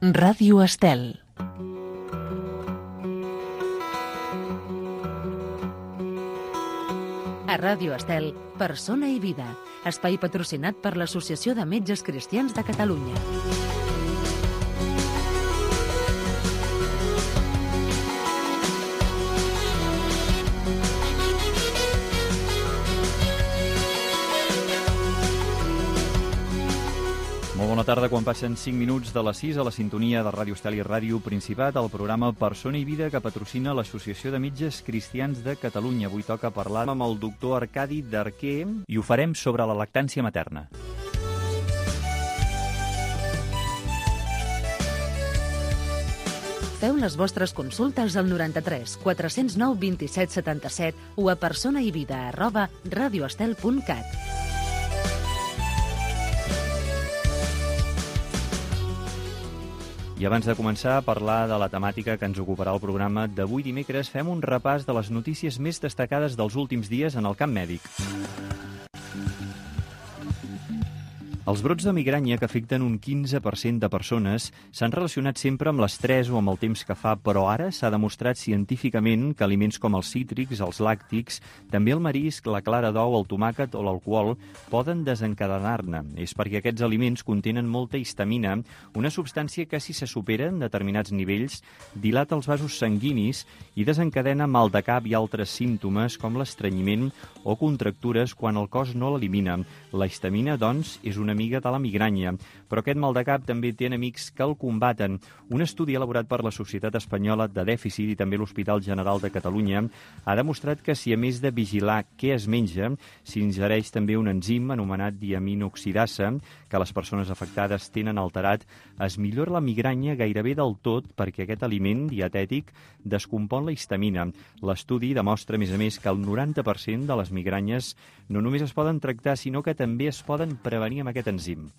Ràdio Estel. A Ràdio Estel, Persona i Vida, espai patrocinat per l'Associació de Metges Cristians de Catalunya. Bona tarda, quan passen 5 minuts de les 6 a la sintonia de Ràdio Estel i Ràdio Principat, el programa Persona i Vida que patrocina l'Associació de Metges Cristians de Catalunya. Avui toca parlar amb el doctor Arcadi Darquer i ho farem sobre la lactància materna. Feu les vostres consultes al 93 409 27 77 o a personaivida@radioestel.cat. I abans de començar a parlar de la temàtica que ens ocuparà el programa d'avui dimecres, fem un repàs de les notícies més destacades dels últims dies en el camp mèdic. Els brots de migranya, que afecten un 15% de persones, s'han relacionat sempre amb l'estrès o amb el temps que fa, però ara s'ha demostrat científicament que aliments com els cítrics, els làctics, també el marisc, la clara d'ou, el tomàquet o l'alcohol poden desencadenar-ne. És perquè aquests aliments contenen molta histamina, una substància que, si se supera en determinats nivells, dilata els vasos sanguinis i desencadena mal de cap i altres símptomes com l'estrenyiment o contractures quan el cos no l'elimina. La histamina, doncs, és una amiga de la migranya, però aquest mal de cap també té enemics que el combaten. Un estudi elaborat per la Societat Espanyola de Dèficit i també l'Hospital General de Catalunya ha demostrat que si, a més de vigilar què es menja, s'ingereix també un enzim anomenat diaminoxidasa, que les persones afectades tenen alterat, es millora la migranya gairebé del tot perquè aquest aliment dietètic descompon la histamina. L'estudi demostra, a més, que el 90% de les migranyes no només es poden tractar, sinó que també es poden prevenir amb aquest enzim.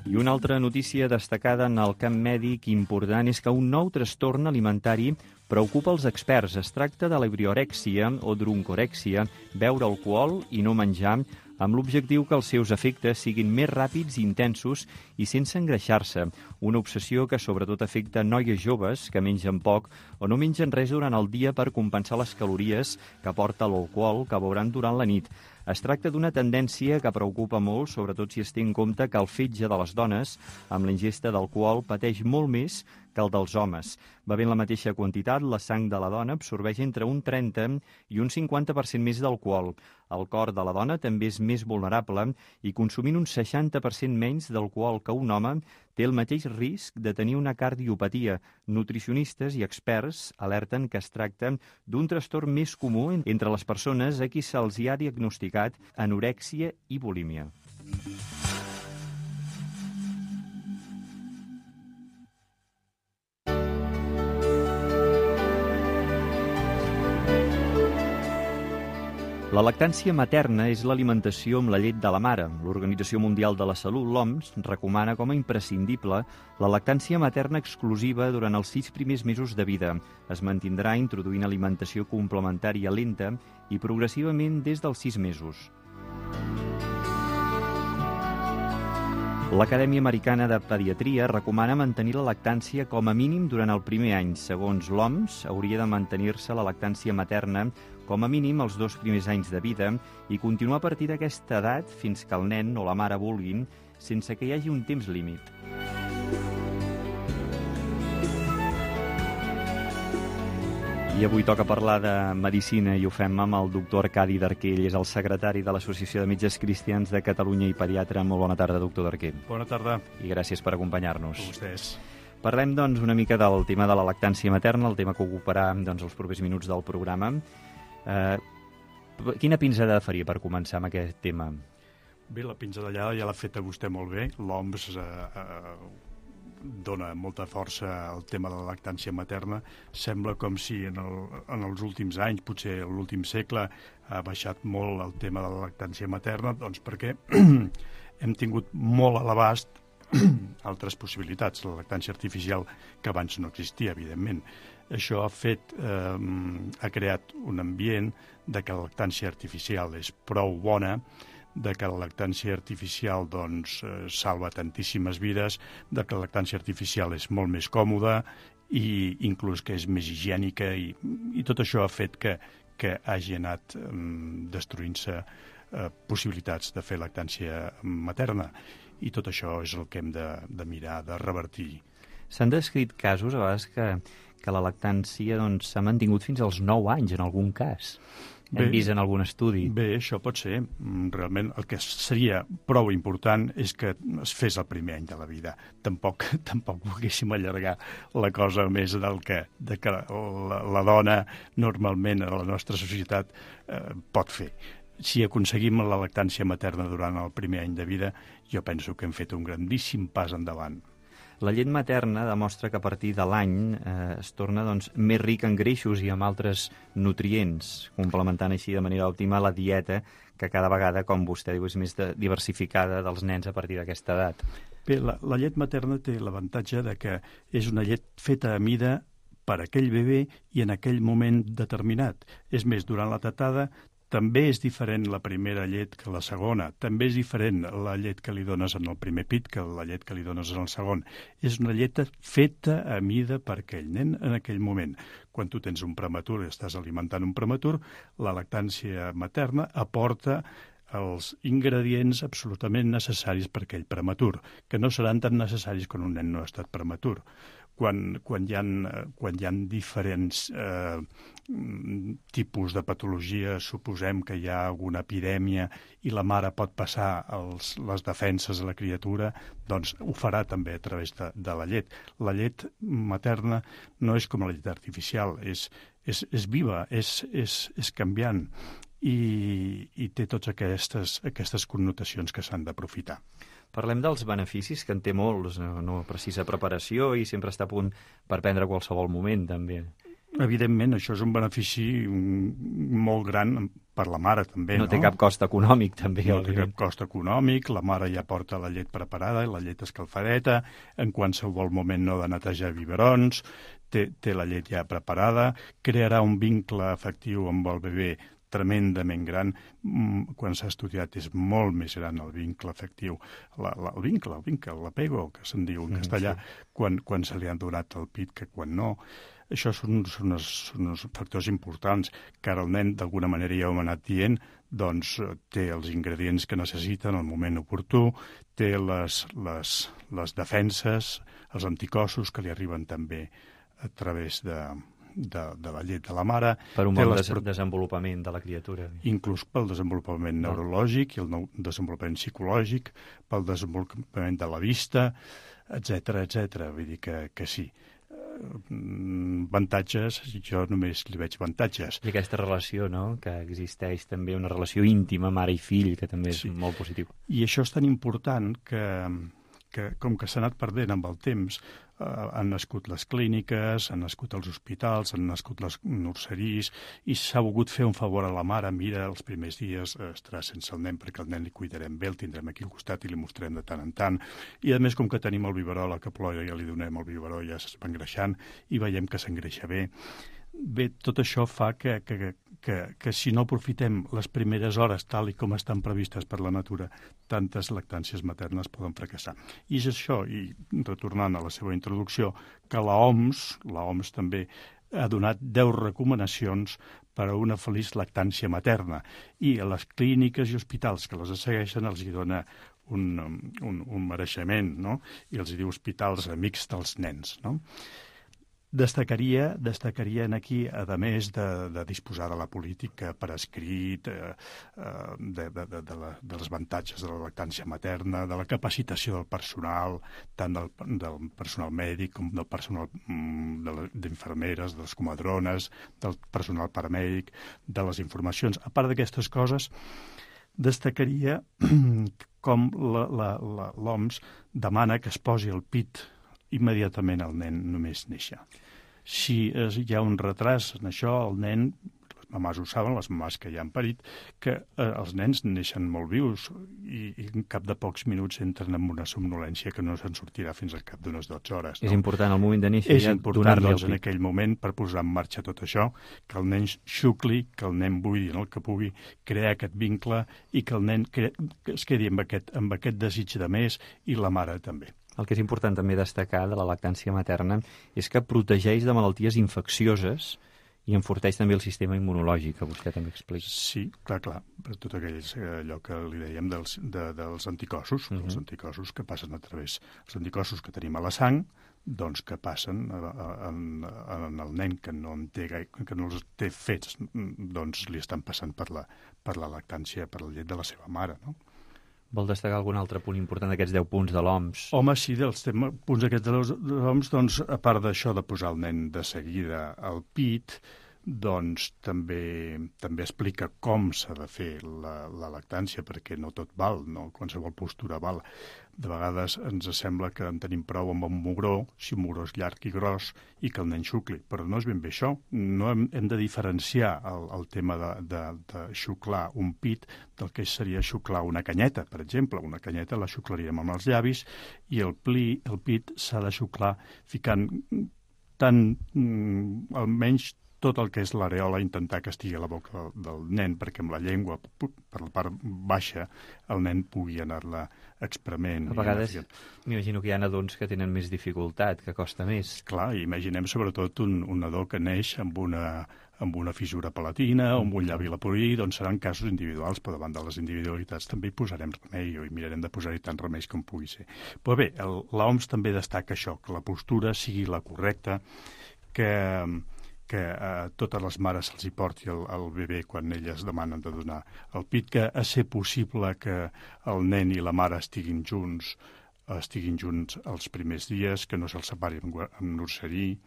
I una altra notícia destacada en el camp mèdic important és que un nou trastorn alimentari preocupa els experts. Es tracta de l'ebriorèxia o druncorèxia, beure alcohol i no menjar, amb l'objectiu que els seus efectes siguin més ràpids i intensos i sense engreixar-se. Una obsessió que sobretot afecta noies joves que mengen poc o no mengen res durant el dia per compensar les calories que aporta l'alcohol que beuran durant la nit. Es tracta d'una tendència que preocupa molt, sobretot si es té en compte que el fetge de les dones amb la ingesta d'alcohol pateix molt més que el dels homes. Bevent la mateixa quantitat, la sang de la dona absorbeix entre un 30 i un 50% més d'alcohol. El cor de la dona també és més vulnerable i consumint un 60% menys d'alcohol que un home té el mateix risc de tenir una cardiopatia. Nutricionistes i experts alerten que es tracta d'un trastorn més comú entre les persones a qui se'ls hi ha diagnosticat anorèxia i bulímia. La lactància materna és l'alimentació amb la llet de la mare. L'Organització Mundial de la Salut, l'OMS, recomana com a imprescindible la lactància materna exclusiva durant els 6 primers mesos de vida. Es mantindrà introduint alimentació complementària lenta i progressivament des dels 6 mesos. L'Acadèmia Americana de Pediatria recomana mantenir la lactància com a mínim durant el primer any. Segons l'OMS, hauria de mantenir-se la lactància materna com a mínim els 2 primers anys de vida i continuar a partir d'aquesta edat fins que el nen o la mare vulguin, sense que hi hagi un temps límit. I avui toca parlar de medicina i ho fem amb el doctor Arcadi Darquer. Ell és el secretari de l'Associació de Metges Cristians de Catalunya i pediatre. Molt bona tarda, doctor Darquer. Bona tarda. I gràcies per acompanyar-nos. A vostès. Parlem, doncs, una mica del tema de la lactància materna, el tema que ocuparà els propers minuts del programa. Quina pinzada faria per començar amb aquest tema? Bé, la pinzellada ja l'ha feta vostè molt bé. L'OMS dona molta força al tema de la lactància materna. Sembla com si en els últims anys, potser en l'últim segle, ha baixat molt el tema de la lactància materna, doncs perquè hem tingut molt a l'abast altres possibilitats. La lactància artificial, que abans no existia, evidentment. Això ha creat un ambient de que la lactància artificial és prou bona, de que la lactància artificial doncs, salva tantíssimes vides, de que la lactància artificial és molt més còmoda i inclús que és més higiènica i tot això ha fet que hagi anat destruint-se possibilitats de fer lactància materna i tot això és el que hem de mirar, de revertir. S'han descrit casos, a vegades, que la lactància s'ha mantingut fins als 9 anys, en algun cas. Hem vist en algun estudi. Bé, això pot ser. Realment el que seria prou important és que es fes el primer any de la vida. Tampoc volguéssim allargar la cosa més de que la dona normalment a la nostra societat pot fer. Si aconseguim la lactància materna durant el primer any de vida, jo penso que hem fet un grandíssim pas endavant. La llet materna demostra que a partir de l'any es torna més ric en greixos i amb altres nutrients, complementant així de manera òptima la dieta que cada vegada, com vostè diu, és més diversificada dels nens a partir d'aquesta edat. Bé, la llet materna té l'avantatge de que és una llet feta a mida per aquell bebè i en aquell moment determinat. És més, durant la tetada també és diferent la primera llet que la segona. També és diferent la llet que li dones en el primer pit que la llet que li dones en el segon. És una llet feta a mida per aquell nen en aquell moment. Quan tu tens un prematur i estàs alimentant un prematur, la lactància materna aporta els ingredients absolutament necessaris per aquell prematur, que no seran tan necessaris quan un nen no ha estat prematur. Quan hi ha diferents tipus de patologia, suposem que hi ha alguna epidèmia i la mare pot passar les defenses a la criatura, doncs ho farà també a través de la llet. La llet materna no és com la llet artificial, és viva, és canviant i té totes aquestes connotacions que s'han d'aprofitar. Parlem dels beneficis, que en té molts, no precisa preparació i sempre està a punt per prendre qualsevol moment, també. Evidentment, això és un benefici molt gran per la mare, també. No té cap cost econòmic, també. No té cap cost econòmic, la mare ja porta la llet preparada, la llet escalfadeta, en qualsevol moment no ha de netejar biberons, té la llet ja preparada, crearà un vincle afectiu amb el bebè tremendament gran. Quan s'ha estudiat és molt més gran el vincle afectiu. El vincle, l'apego, que se'n diu en castellà, quan se li han donat el pit que quan no. Això són uns factors importants que ara el nen, d'alguna manera, ja ho hem anat dient, doncs té els ingredients que necessita en el moment oportú, té les defenses, els anticossos que li arriben també a través de la llet de la mare. Per un bon desenvolupament de la criatura. Inclús pel desenvolupament neurològic i el desenvolupament psicològic, pel desenvolupament de la vista, etc. Vull dir que sí. Avantatges, jo només li veig avantatges. I aquesta relació, no?, que existeix també, una relació íntima, mare i fill, que també és molt positiu. I això és tan important que com que s'ha anat perdent amb el temps, han nascut les clíniques, han nascut els hospitals, han nascut les nurseries, i s'ha volgut fer un favor a la mare. Mira, els primers dies estarà sense el nen perquè el nen li cuidarem bé, el tindrem aquí al costat i li mostrarem de tant en tant. I a més, com que tenim el biberó, la que plora ja li donem el biberó, ja es va engreixant i veiem que s'engreixa bé. Bé, tot això fa que si no aprofitem les primeres hores tal i com estan previstes per la natura, tantes lactàncies maternes poden fracassar. I és això, i retornant a la seva introducció, que l'OMS també ha donat 10 recomanacions per a una feliç lactància materna, i a les clíniques i hospitals que les segueixen els hi dona un mereixement, no? I els hi diu hospitals amics dels nens, no? Destacaria aquí, a més de disposar de la política per escrit, dels avantatges de la lactància materna, de la capacitació del personal, tant del personal mèdic com del personal d'infermeres, de les comadrones, del personal paramèdic, de les informacions. A part d'aquestes coses, destacaria com l'OMS demana que es posi el pit immediatament al nen només néixer. Si hi ha un retras en això, el nen, les mamàs ho saben, les mamàs que ja han parit, que els nens neixen molt vius i en cap de pocs minuts entren en una somnolència que no se'n sortirà fins al cap d'unes 12 hores. No? És important al moment de néixer És ja important, donar-li doncs, el en pit. aquell moment, per posar en marxa tot això, que el nen xucli, que el nen buidi en el que pugui, crear aquest vincle i que el nen que es quedi amb aquest desig de més i la mare també. El que és important també destacar de la lactància materna és que protegeix de malalties infeccioses i enforteix també el sistema immunològic, que vostè també explica. Sí, clar, per tot allò que li dèiem dels anticossos, els anticossos que passen a través, els anticossos que tenim a la sang, doncs que passen en el nen que no els té fets, doncs li estan passant per la lactància, per la llet de la seva mare, no? Vol destacar algun altre punt important d'aquests 10 punts de l'OMS? Home, sí, dels punts aquests de l'OMS, doncs, a part d'això de posar el nen de seguida al pit, doncs també explica com s'ha de fer la lactància, perquè no tot val, no qualsevol postura val. De vegades ens sembla que en tenim prou amb un mugró, si un mugró és llarg i gros, i que el nen xucli, però no és ben bé això. No hem de diferenciar el tema de xuclar un pit del que seria xuclar una canyeta, per exemple. Una canyeta la xuclaríem amb els llavis i el pit s'ha de xuclar ficant almenys tot el que és l'areola, intentar que estigui a la boca del nen, perquè amb la llengua, per la part baixa, el nen pugui anar-la exprement. A vegades m'imagino que hi ha nadons que tenen més dificultat, que costa més. Clar, imaginem sobretot un nadó que neix amb una fissura palatina o amb un llavi leporí, doncs seran casos individuals, però davant de les individualitats també hi posarem remei i mirarem de posar-hi tant remeis com pugui ser. Però bé, l'OMS també destaca això, que la postura sigui la correcta, que a totes les mares se'ls hi porti el bebè quan elles demanen de donar el pit, que a ser possible que el nen i la mare estiguin junts els primers dies, que no se'ls separi en nurserí.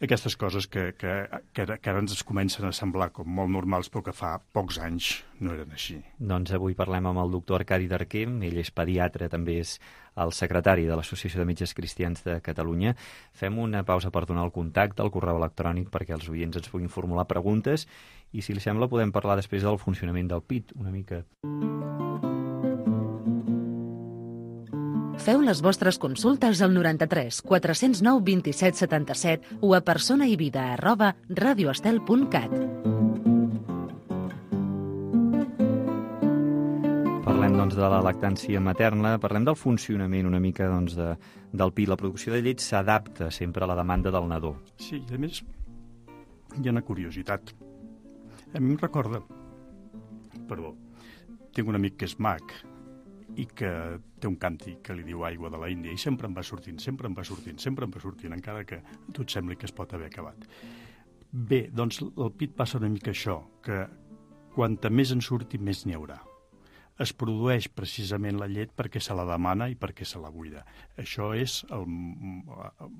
Aquestes coses que ara ens comencen a semblar com molt normals, però que fa pocs anys no eren així. Doncs avui parlem amb el doctor Arcadi Darquer, ell és pediatre, també és el secretari de l'Associació de Metges Cristians de Catalunya. Fem una pausa per donar el contacte, el correu electrònic, perquè els oients ens puguin formular preguntes, i si li sembla podem parlar després del funcionament del pit, una mica. Feu les vostres consultes al 93 409 27 77 o a personaivida@radioestel.cat. Parlem, doncs, de la lactància materna, parlem del funcionament una mica, doncs, del pit. La producció de llet s'adapta sempre a la demanda del nadó. Sí, i a més hi ha una curiositat. A mi em recorda... Perdó, tinc un amic que és mag i que té un càntic que li diu aigua de la Índia i sempre em va sortint, encara que a tu et sembli que es pot haver acabat. Bé, doncs el pit passa una mica això, que quanta més en surti, més n'hi haurà. Es produeix precisament la llet perquè se la demana i perquè se la buida. Això és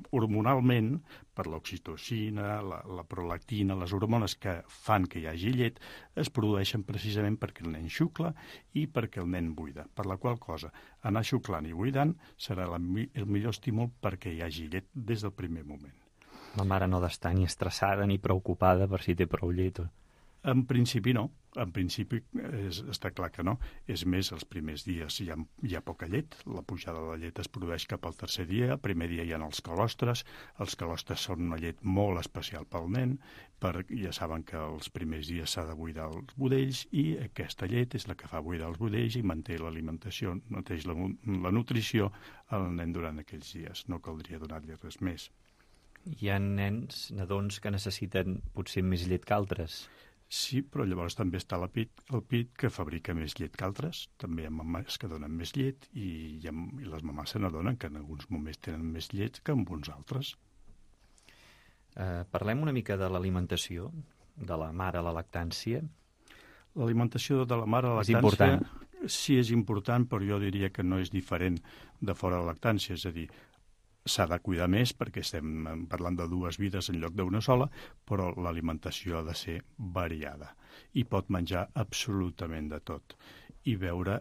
hormonalment, per l'oxitocina, la prolactina, les hormones que fan que hi hagi llet, es produeixen precisament perquè el nen xucla i perquè el nen buida. Per la qual cosa, anar xuclant i buidant serà el millor estímul perquè hi hagi llet des del primer moment. La mare no ha d'estar ni estressada ni preocupada per si té prou llet. En principi no, en principi està clar que no. És més, els primers dies hi ha poca llet, la pujada de la llet es produeix cap al tercer dia, el primer dia hi ha els calostres són una llet molt especial pel nen, ja saben que els primers dies s'ha de buidar els budells i aquesta llet és la que fa buidar els budells i manté l'alimentació, manté la nutrició al nen durant aquells dies, no caldria donar-li res més. Hi ha nadons que necessiten potser més llet que altres. Sí, però llavors també està el pit que fabrica més llet que altres. També hi ha mamàs que donen més llet i les mamàs se n'adonen que en alguns moments tenen més llet que en uns altres. Parlem una mica de l'alimentació de la mare a la lactància. L'alimentació de la mare a la lactància... És important. Sí, és important, però jo diria que no és diferent de fora de la lactància. És a dir, s'ha de cuidar més perquè estem parlant de dues vides en lloc d'una sola, però l'alimentació ha de ser variada i pot menjar absolutament de tot i beure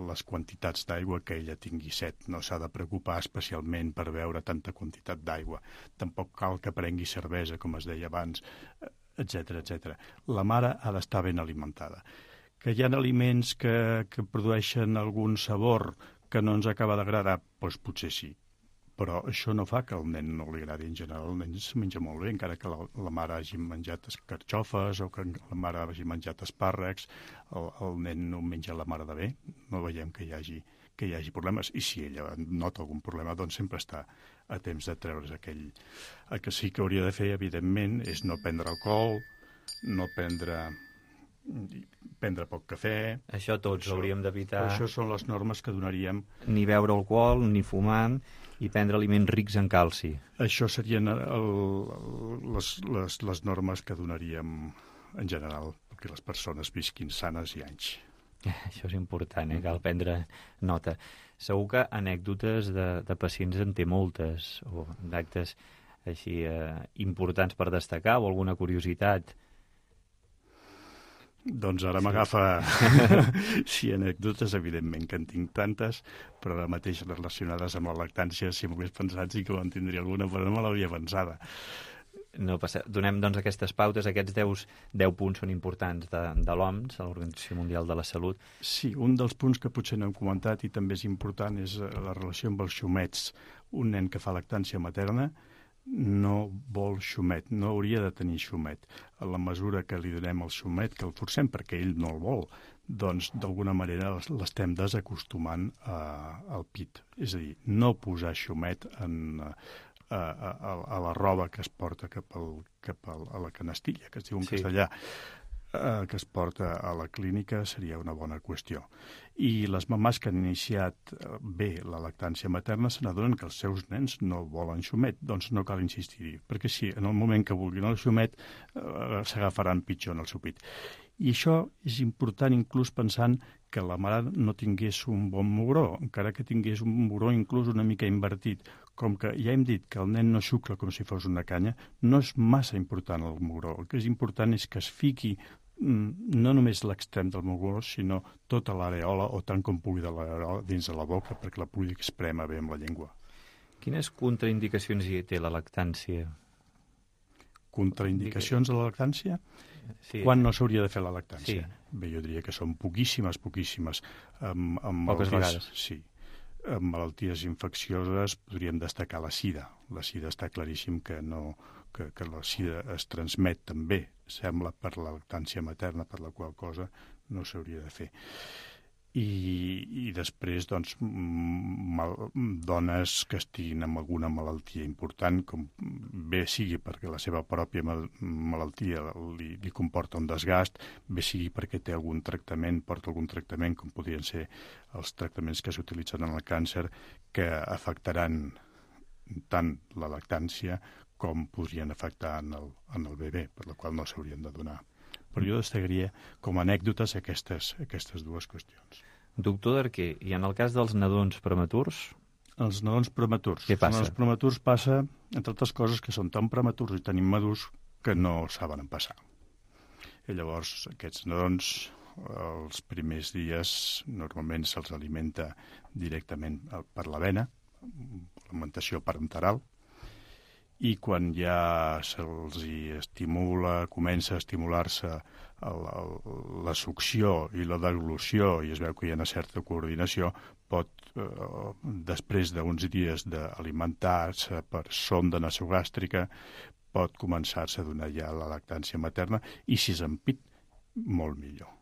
les quantitats d'aigua que ella tingui set. No s'ha de preocupar especialment per beure tanta quantitat d'aigua. Tampoc cal que prengui cervesa, com es deia abans. etc etc. La mare ha d'estar ben alimentada. Que hi ha aliments que produeixen algun sabor que no ens acaba d'agradar, doncs potser sí. Però això no fa que al nen no li agradi. En general, el nen es menja molt bé, encara que la mare hagi menjat escarxofes o que la mare hagi menjat espàrrecs, el nen no menja la mare de bé, no veiem que hi hagi problemes. I si ella nota algun problema, doncs sempre està a temps de treure's aquell. El que sí que hauria de fer, evidentment, és no prendre alcohol, no prendre poc cafè. Això tots hauríem d'evitar. Això són les normes que donaríem. Ni beure alcohol, ni fumar, i prendre aliments rics en calci. Això serien les normes que donaríem en general, perquè les persones visquin sanes i anys. Això és important, cal prendre nota. Segur que anècdotes de pacients en té moltes, o d'actes així importants per destacar, o alguna curiositat. Doncs ara m'agafa sí, anècdotes, evidentment que en tinc tantes, però ara mateix relacionades amb la lactància, si m'ho hagués pensat sí que en tindria alguna, però no me l'havia pensada. No passa. Donem doncs aquestes pautes, aquests 10 punts són importants de l'OMS, l'Organització Mundial de la Salut. Sí, un dels punts que potser no hem comentat i també és important és la relació amb els xumets. Un nen que fa lactància materna no vol xumet, no hauria de tenir xumet. A la mesura que li donem el xumet, que el forcem perquè ell no el vol, doncs d'alguna manera l'estem desacostumant al pit. És a dir, no posar xumet a la roba que es porta cap a la canastilla, que es diu en castellà, que es porta a la clínica seria una bona qüestió. I les mamàs que han iniciat bé la lactància materna se n'adonen que els seus nens no volen xumet, doncs no cal insistir-hi, perquè si en el moment que vulguin el xumet s'agafaran pitjor en el seu pit. I això és important inclús pensant que la mare no tingués un bon mugró, encara que tingués un mugró inclús una mica invertit. Com que ja hem dit que el nen no xucla com si fos una canya, no és massa important el mugró. El que és important és que es fiqui no només l'extrem del mugró, sinó tota l'areola, o tant com pugui de l'areola, dins de la boca, perquè la pugui esprémer bé amb la llengua. Quines contraindicacions hi té la lactància? Contraindicacions de la lactància? Sí. Quan no s'hauria de fer la lactància? Sí. Bé, jo diria que són poquíssimes. Poques vegades. Sí. Amb malalties infeccioses podríem destacar la sida. La sida està claríssim que la sida es transmet també, sembla, per la lactància materna, per la qual cosa no s'hauria de fer. I després, doncs, dones que estiguin amb alguna malaltia important, com bé sigui perquè la seva pròpia malaltia li comporta un desgast, bé sigui perquè té algun tractament, porta algun tractament, com podrien ser els tractaments que s'utilitzen en el càncer, que afectaran tant la lactància com podrien afectar en el bebè, per la qual no s'haurien de donar. Però jo destacaria com a anècdotes aquestes dues qüestions. Doctor Darquer, i en el cas dels nadons prematurs? Els nadons prematurs. Què passa? Els prematurs passa, entre altres coses, que són tan prematurs i tan immadurs que no saben passar. I llavors, aquests nadons, els primers dies, normalment se'ls alimenta directament per la vena, alimentació parenteral, i quan ja se'ls estimula, comença a estimular-se la succió i la deglució, i es veu que hi ha una certa coordinació, pot, després d'uns dies d'alimentar-se per sonda nasogàstrica, pot començar-se a donar ja la lactància materna, i si és en pit, molt millor.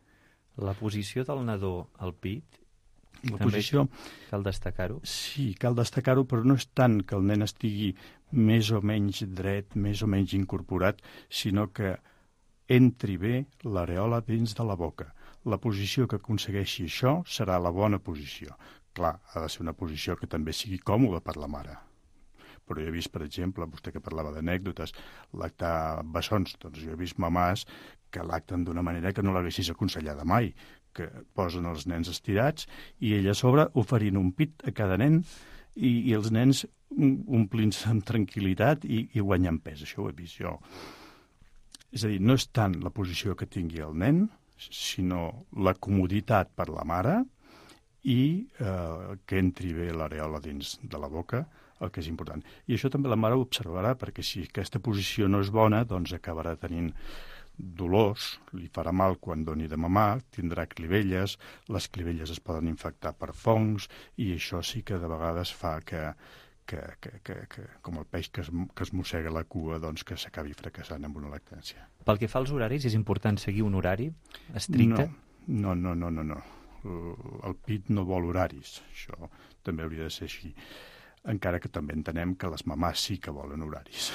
La posició del nadó al pit, la posició, cal destacar-ho? Sí, cal destacar-ho, però no és tant que el nen estigui més o menys dret, més o menys incorporat, sinó que entri bé l'areola dins de la boca. La posició que aconsegueixi això serà la bona posició. Clar, ha de ser una posició que també sigui còmoda per la mare. Però jo he vist, per exemple, vostè que parlava d'anècdotes, lactar bessons, doncs jo he vist mamàs que lacten d'una manera que no l'haguessis aconsellada mai, que posen els nens estirats i ella a sobre oferint un pit a cada nen i els nens omplint-se amb tranquil·litat i guanyant pes. Això ho he vist jo. És a dir, no és tant la posició que tingui el nen, sinó la comoditat per la mare i que entri bé l'areola dins de la boca, el que és important. I això també la mare ho observarà, perquè si aquesta posició no és bona, doncs acabarà tenint dolors, li farà mal quan doni de mamar, tindrà clivelles, les clivelles es poden infectar per fongs i això sí que de vegades fa que com el peix que es mossega la cua, doncs que s'acabi fracassant amb una lactància. Pel que fa als horaris, és important seguir un horari estricte? No. El PIT no vol horaris, això també hauria de ser així. Encara que també entenem que les mamàs sí que volen horaris.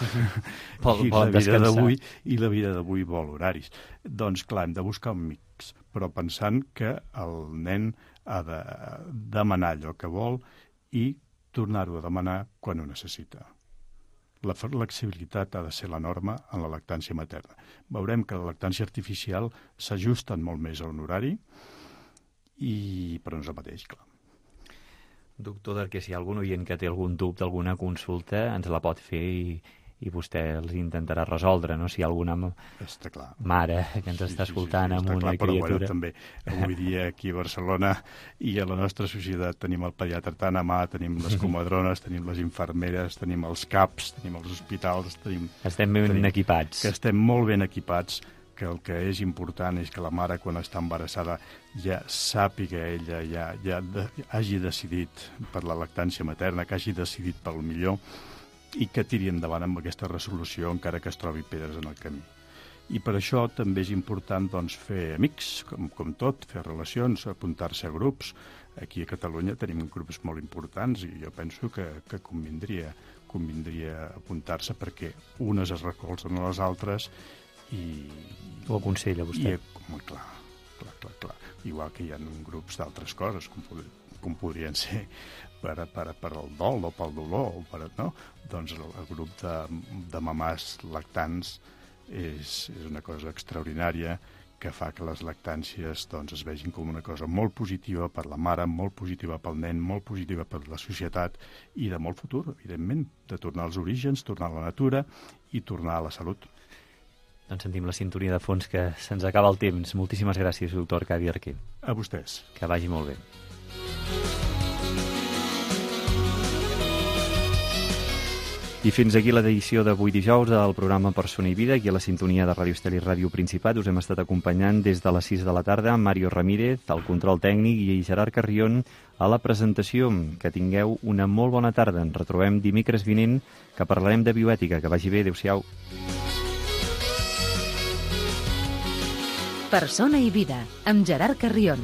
I la vida d'avui vol horaris. Doncs clar, hem de buscar un mix, però pensant que el nen ha de demanar allò que vol i tornar-ho a demanar quan ho necessita. La flexibilitat ha de ser la norma en la lactància materna. Veurem que la lactància artificial s'ajusten molt més a un horari, però no és el mateix, clar. Doctor, que si hi ha algun oient que té algun dubte, alguna consulta, ens la pot fer i vostè els intentarà resoldre, no? Si hi ha alguna mare que ens està escoltant amb una criatura. Però també avui dia aquí a Barcelona i a la nostra societat tenim el pediatre tant a mà, tenim les comadrones, tenim les infermeres, tenim els CAPs, tenim els hospitals, estem ben equipats. Que estem molt ben equipats, que el que és important és que la mare quan està embarassada ja sàpiga ella, ja hagi decidit per la lactància materna, que hagi decidit pel millor i que tiri endavant amb aquesta resolució encara que es trobi pedres en el camí. I per això també és important doncs, fer amics, com tot, fer relacions, apuntar-se a grups. Aquí a Catalunya tenim grups molt importants i jo penso que convindria apuntar-se perquè unes es recolzen a les altres i... Ho aconsella vostè? Clar. Igual que hi ha grups d'altres coses, com podrien ser per al dol o pel dolor, no? Doncs el grup de mamàs lactants és una cosa extraordinària que fa que les lactàncies doncs, es vegin com una cosa molt positiva per la mare, molt positiva pel nen, molt positiva per la societat i de molt futur, evidentment, de tornar als orígens, tornar a la natura i tornar a la salut. Doncs sentim la sintonia de fons que se'ns acaba el temps. Moltíssimes gràcies, doctor Arcadi Arquer. A vostès. Que vagi molt bé. I fins aquí l'edició d'avui dijous del programa Persona i Vida, aquí a la sintonia de Ràdio Estel i Ràdio Principat. Us hem estat acompanyant des de les 6 de la tarda amb Mario Ramírez, al control tècnic, i Gerard Carrion a la presentació. Que tingueu una molt bona tarda. Ens retrobem dimecres vinent, que parlarem de bioètica. Que vagi bé. Adéu-siau. Persona i Vida, amb Gerard Carrion.